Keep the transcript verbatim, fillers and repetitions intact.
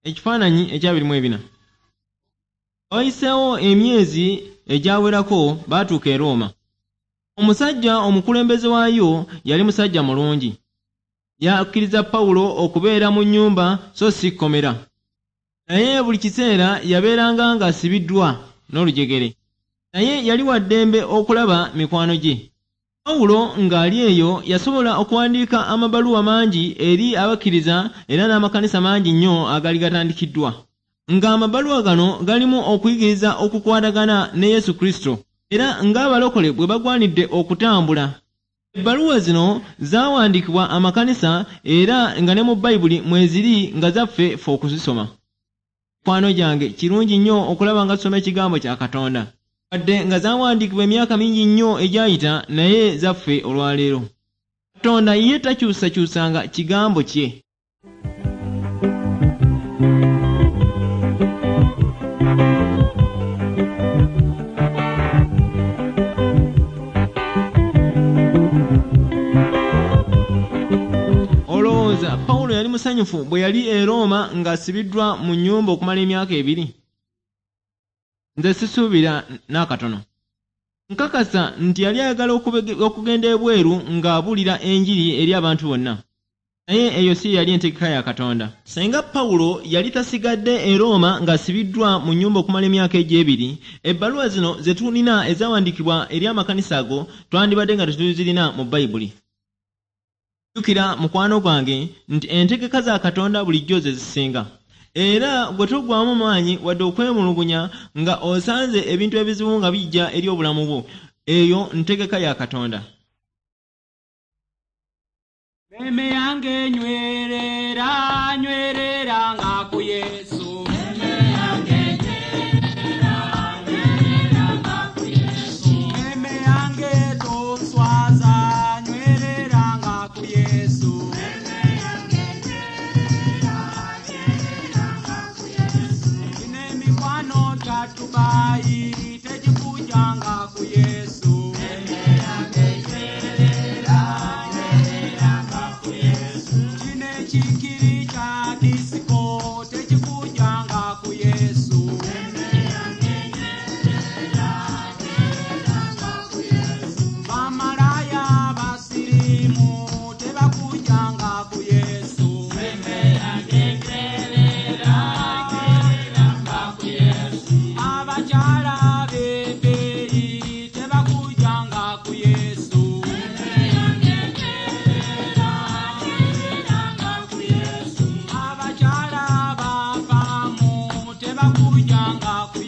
Ekifaananyi ekyabiri mu ebina. Wayiseewo emyezi egyawerako baatuuka e Rooma. Omusajja omukulembeze waayo yali musajja mulungi. Yakkiriza Pawulo okubeera mu nnyumba so si kkomera. Naye buli kiseera yabeeranga ng'asibiddwa n'olujegere. Naye yali wa ddembe okulaba mikwano gye. Pawulo ng'ali eyo yasobola okuwandiika amabaluwa mangi eri abakkiriza era n'amakanisa mangi nnyo agaali gatandikiddwa. Ng'amabaluwa gano galimu okuyigiriza okukwatagana ne Yesu Kristo era ng'abalokole bwe bagwanidde okutambula. Ebbaluwa zino zaawandiikibwa amakanisa era nga ne mu Bayibuli mweziri nga zaffe ffe okuzisoma. Mikwano gyange, kirungi nnyo okulaba nga tusoma ekigambo kya Katonda. Wadde nga zaawandiikibwa emyaka mingi nnyo egyayita, naye zaffe olwaleero. Katonda ye takyusakyusanga kigambo kye. Olowooza Pawulo yali musanyufu bwe yali e Rooma ng'asibiddwa mu nnyumba okumala emyaka ebiri? Nze sisuubira n'akatono. Nkakasa nti yali ayagala okugenda ebweru ng'abuulira enjiri eri abantu bonna. Naye eyo si yali entegeka ya Katonda. Singa Pawulo yali tasigadde e Rooma ng'asibiddwa mu nnyumba okumala emyaka egyo ebiri, ebbaluwa zino ze tulina ezawandiikibwa eri amakanisa ago twandibadde nga tetuzirina mu Bayibuli. Jjukira mukwano gwange nti entegeka za Katonda bulijjo ze zisinga. Era gwe toggwaamu maanyi wadde okwemulugunya nga osanze ebintu ebizibu nga bijja eri obulamu bwo. Eyo ntegeka ya Katonda. Meme yange nywerera, nywerera nga ku Yesu. Meme yange nywerera, nywerera nga ku Yesu. Meme yange toswaza, nywerera nga ku Yesu. Meme yange nywerera, nywerera nga ku Yesu. Ine mikwano gya Dubai tegikujjanga ku Yesu. Meme yange nywerera, nywerera nga ku Yesu. Kino ekikiri kya disiko tekikujjanga ku Yesu. Meme yange nywerera, nywerera nga ku Yesu. Bamalaya basirimu tebakujjanga ku Yesu. Meme yange nywerera, nywerera nga ku Yesu. Abakyala b'ebbeeyi tebakujjanga ku Yesu. Meme yange nywerera, nywerera nga ku Yesu. Abakyala bafaamu tebakujjanga ku